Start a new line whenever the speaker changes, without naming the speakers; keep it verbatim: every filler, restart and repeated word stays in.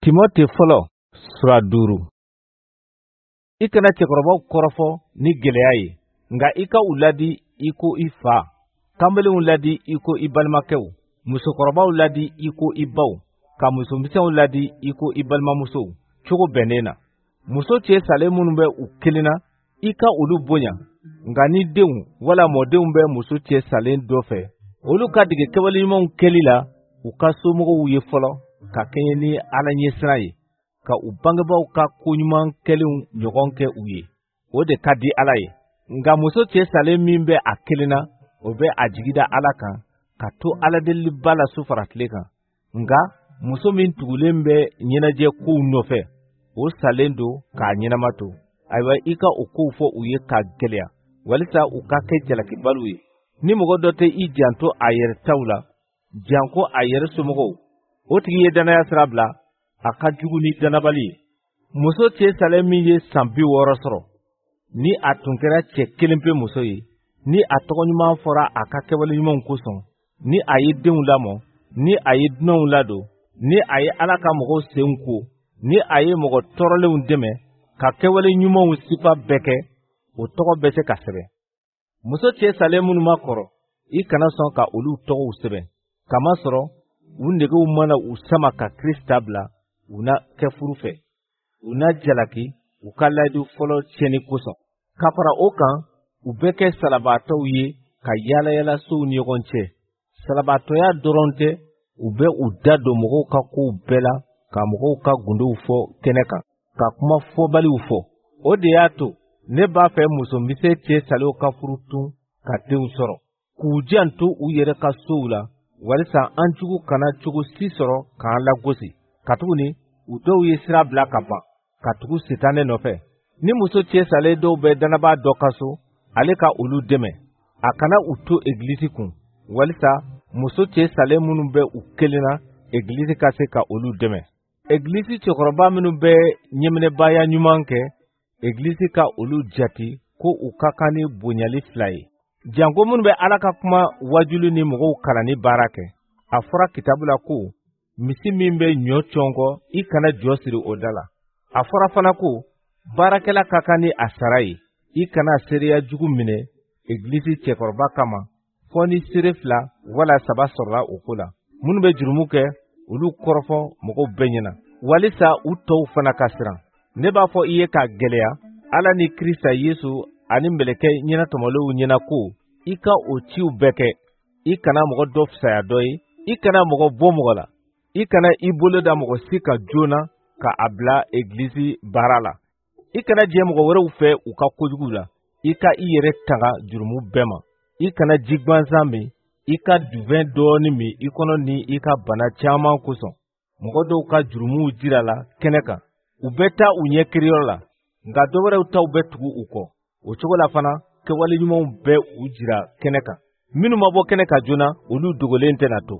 Timote fɔlɔ sura duuru. I kana cɛkɔrɔbaw kɔrɔfɔ ni gɛlɛya ye, nka i ka u ladi i ko i fa, kanbelenw ladi i ko i balimakɛw, musokɔrɔbaw ladi i ko i baw, ka musomisɛnw ladi i ko i balimamusow cogo bɛnnen na. Muso cɛ salen minnu bɛ u kelen na, i ka olu bonya, nka ni denw wala mɔdenw bɛ muso cɛ salen dɔ fɛ, olu ka dege kɛwale ɲumanw kɛli la u ka somɔgɔw ye fɔlɔ, ka kɛɲɛ ni Ala ɲɛsiran ye, ka u bangebaaw ka koɲuman kɛlenw ɲɔgɔn kɛ u ye. O de ka di Ala ye. Nka muso cɛ salen min bɛ a kelen na, o bɛ a jigi da Ala kan, ka to Aladeliba la su fara tile kan. Nka muso min tugulen bɛ ɲɛnajɛ kow nɔfɛ, o salen don k'a ɲɛnama to. Ayiwa, i ka o kow fɔ u ye k'a gɛlɛya, walisa u ka kɛ jalakibaliw ye. Ni mɔgɔ dɔ tɛ i janto a yɛrɛ taw la, janko a yɛrɛ somɔgɔw, o tigi ye dannaya sira bila, a ka jugu ni dannabali ye. Muso cɛ salen min ye san bi wɔɔrɔ sɔrɔ, ni a tun kɛra cɛ kelen pe muso ye, ni a tɔgɔ ɲuman fɔra a ka kɛwale ɲumanw kosɔn, ni a ye denw lamɔ, ni a ye dunanw ladon, ni a ye Ala ka mɔgɔw senw ko, ni a ye mɔgɔ tɔɔrɔlenw dɛmɛ, ka kɛwale ɲumanw sifa bɛɛ kɛ, o tɔgɔ bɛ se ka sɛbɛn. Muso cɛ salen minnu ma kɔrɔ, i kana sɔn ka olu tɔgɔw sɛbɛn, kamasɔrɔ u negew mana u sama ka Krista bila, u na kɛ furu fɛ, u na jalaki u ka layidu fɔlɔ tiɲɛni kosɔn. Ka fara o kan, u bɛ kɛ salabaatɔw ye ka yaalayaala sow ni ɲɔgɔn cɛ. Salabaatɔya dɔrɔn tɛ, u bɛ u da don mɔgɔw ka kow bɛɛ la, ka mɔgɔw ka gundow fɔ kɛnɛ kan, ka kuma fɔbaliw fɔ. O de y'a to ne b'a fɛ musomisɛn cɛ salenw ka furu tun ka denw sɔrɔ, k'u janto u yɛrɛ ka sow la, walisa an jugu kana cogo si sɔrɔ k'an lagosi. Katuguni u dɔw ye sira bila ka ban, ka tugu Sitanɛ nɔfɛ. Ni muso cɛ salen dɔw bɛ dannabaa dɔ ka so, ale ka olu dɛmɛ. A kana u to egilisi kun, walisa muso cɛ salen minnu bɛ u kelen na, egilisi ka se ka olu dɛmɛ. Egilisi cɛkɔrɔba minnu bɛ ɲɛminɛbaaya ɲuman kɛ, egilisi ka olu jate ko u ka kan ni bonyali fila ye. Janko minnu bɛ Ala ka kuma wajuli ni mɔgɔw kalanni baara kɛ. A fɔra kitabu la ko, misi min bɛ ɲɔ cɔnkɔ, i kana jɔ siri o da la. A fɔra fana ko, baarakɛla ka kan ni a sara ye, i kana seereya jugu minɛ egilisi cɛkɔrɔba kama, fɔ ni seere fila wala saba sɔrɔla o ko la. Minnu bɛ jurumu kɛ, olu kɔrɔfɔ mɔgɔw bɛɛ ɲɛna, walisa u tɔw fana ka siran. Ne b'a fɔ i ye k'a gɛlɛya, Ala ni Krista Yesu ani mɛlɛkɛ ɲɛnatɔmɔlenw ɲɛna ko, i ka o ciw bɛɛ kɛ. I kana mɔgɔ dɔ fisaya dɔ ye, i kana mɔgɔ bɔ mɔgɔ la, i kana i bolo da mɔgɔ si kan joona ka a bila egilisi baara la. I kana jɛ mɔgɔ wɛrɛw fɛ u ka kojugu la, i ka i yɛrɛ tanga jurumu bɛɛ ma. I kana ji gansan min, i ka duvɛn dɔɔnin min i kɔnɔ ni i ka bana caman kosɔn. Mɔgɔ dɔw ka jurumuw jira la kɛnɛ kan, u bɛ taa u ɲɛ kiriyɔrɔ la, nka dɔ wɛrɛw taw bɛ tugu u kɔ. O cogo la fana, kɛwale ɲumanw bɛ u jira kɛnɛ kan. Minnu ma bɔ kɛnɛ kan joona, olu dogolen tɛna to.